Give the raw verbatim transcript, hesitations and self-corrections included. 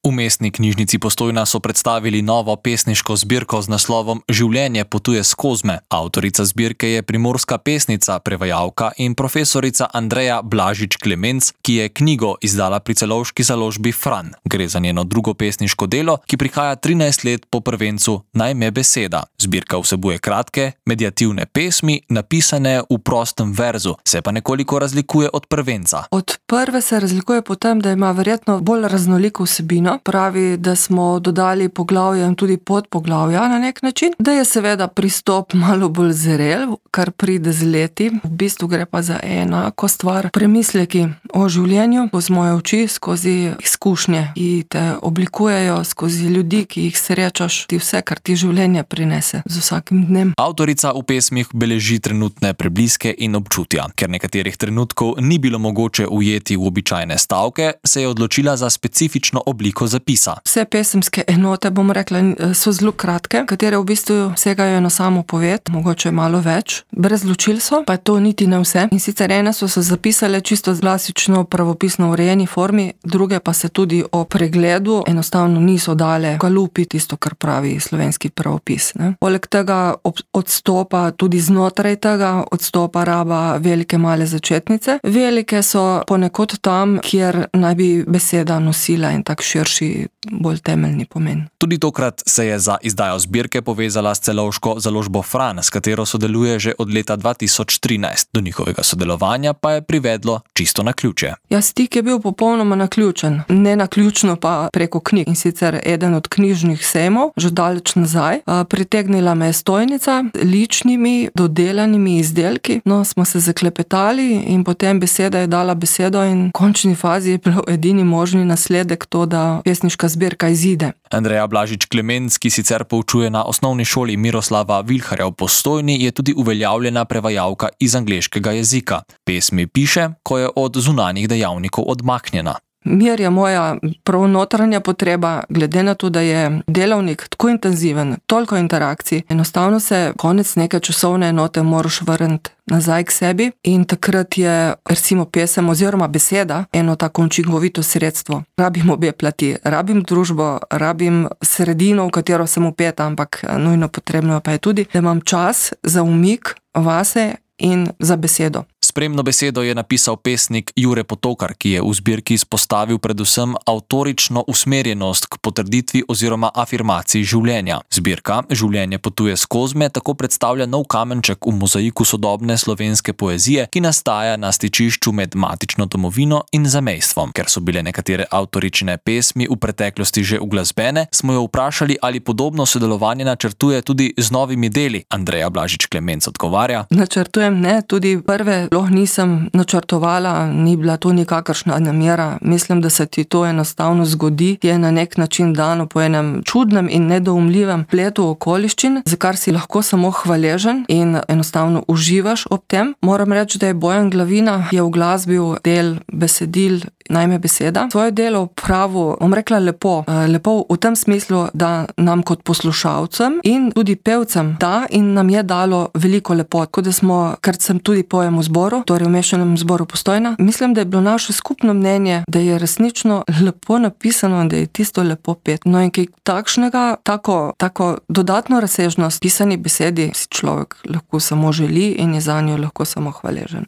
V Mestni knjižnici Postojna so predstavili novo pesniško zbirko z naslovom Življenje potuje skozi. Avtorica zbirke je primorska pesnica, prevajalka in profesorica Andreja Blažič Klemenc, ki je knjigo izdala pri celovški založbi Fran. Gre za njeno drugo pesniško delo, ki prihaja trinajst let po prvencu Naj me beseda. Zbirka vsebuje kratke, mediativne pesmi, napisane v prostem verzu, se pa nekoliko razlikuje od prvenca. Od prve se razlikuje po tem, da ima verjetno bolj raznoliko vsebino. Pravi, da smo dodali poglavja in tudi podpoglavja na nek način, da je seveda pristop malo bolj zrel, kar pride z leti. V bistvu gre pa za enako stvar. Premisleki o življenju skozi moje oči, skozi izkušnje, ki te oblikujejo, skozi ljudi, ki jih srečaš, ti vse, kar ti življenje prinese z vsakim dnem. Avtorica v pesmih beleži trenutne prebliske in občutja. Ker nekaterih trenutkov ni bilo mogoče ujeti v običajne stavke, se je odločila za specifično obliko zapisa. Vse pesemske enote, bom rekla, so zelo kratke, katere v bistvu segajo na samo poved, mogoče malo več. Brez ločil so, pa to niti ne vse. In sicer ene so se zapisale čisto klasično pravopisno urejeni formi, druge pa se tudi o pregledu enostavno niso dale galupi, tisto, kar pravi slovenski pravopis. Ne? Poleg tega odstopa tudi znotraj tega, odstopa raba velike male začetnice. Velike so ponekod tam, kjer naj bi beseda nosila in tak širši, bolj temeljni pomen. Tudi tokrat se je za izdajo zbirke povezala s celovško založbo Fran, s katero sodeluje že od leta dva tisoč trinajst. Do njihovega sodelovanja pa je privedlo čisto naključje. Ja, stik je bil popolnoma naključen. Ne naključno pa preko knjig. In sicer eden od knjižnih sejmov, že daleč nazaj, pritegnila me je stojnica, ličnimi, dodelanimi izdelki. No, smo se zaklepetali in potem beseda je dala besedo in v končni fazi je bil edini možni nasledek to, da pesniška zbirka izide. Andreja Blažič Klemenc, ki sicer poučuje na osnovni šoli Miroslava Vilharja v Postojni, je tudi uveljavljena prevajalka iz angleškega jezika. Pesmi piše, ko je od zunanjih dejavnikov odmaknjena. Mir je moja prav notranja potreba, glede na to, da je delavnik tako intenziven, toliko interakcij, enostavno se konec neke časovne enote moraš vrniti nazaj k sebi in takrat je recimo pesem oziroma beseda eno tako učinkovito sredstvo. Rabim obe plati, rabim družbo, rabim sredino, v katero sem vpeta, ampak nujno potrebno pa je tudi, da imam čas za umik vase in za besedo. Spremno besedo je napisal pesnik Jure Potokar, ki je v zbirki izpostavil predvsem avtorično usmerjenost k potrditvi oziroma afirmaciji življenja. Zbirka Življenje potuje skozi me tako predstavlja nov kamenček v mozaiku sodobne slovenske poezije, ki nastaja na stičišču med matično domovino in zamejstvom. Ker so bile nekatere avtoričine pesmi v preteklosti že uglasbene, smo jo vprašali, ali podobno sodelovanje načrtuje tudi z novimi deli. Andreja Blažič Klemenc odgovarja: Načrtujem ne, tudi prve nisem načrtovala, ni bila to nikakršna namera. Mislim, da se ti to enostavno zgodi, ti je na nek način dano po enem čudnem in nedoumljivem pletu okoliščin, za kar si lahko samo hvaležen in enostavno uživaš ob tem. Moram reči, da je Bojan Glavina je uglasbil del besedil Naj me beseda. Svoje delo pravu, bom rekla lepo, lepo v tem smislu, da nam kot poslušalcem in tudi pevcem da in nam je dalo veliko lepot. Tako da smo, ker sem tudi pojem v zboru, torej v mešanem zboru Postojna, mislim, da je bilo naše skupno mnenje, da je resnično lepo napisano in da je tisto lepo pet. No in kaj takšnega, tako, tako dodatno razsežnost pisani besedi si človek lahko samo želi in je zanjo lahko samo hvaležen.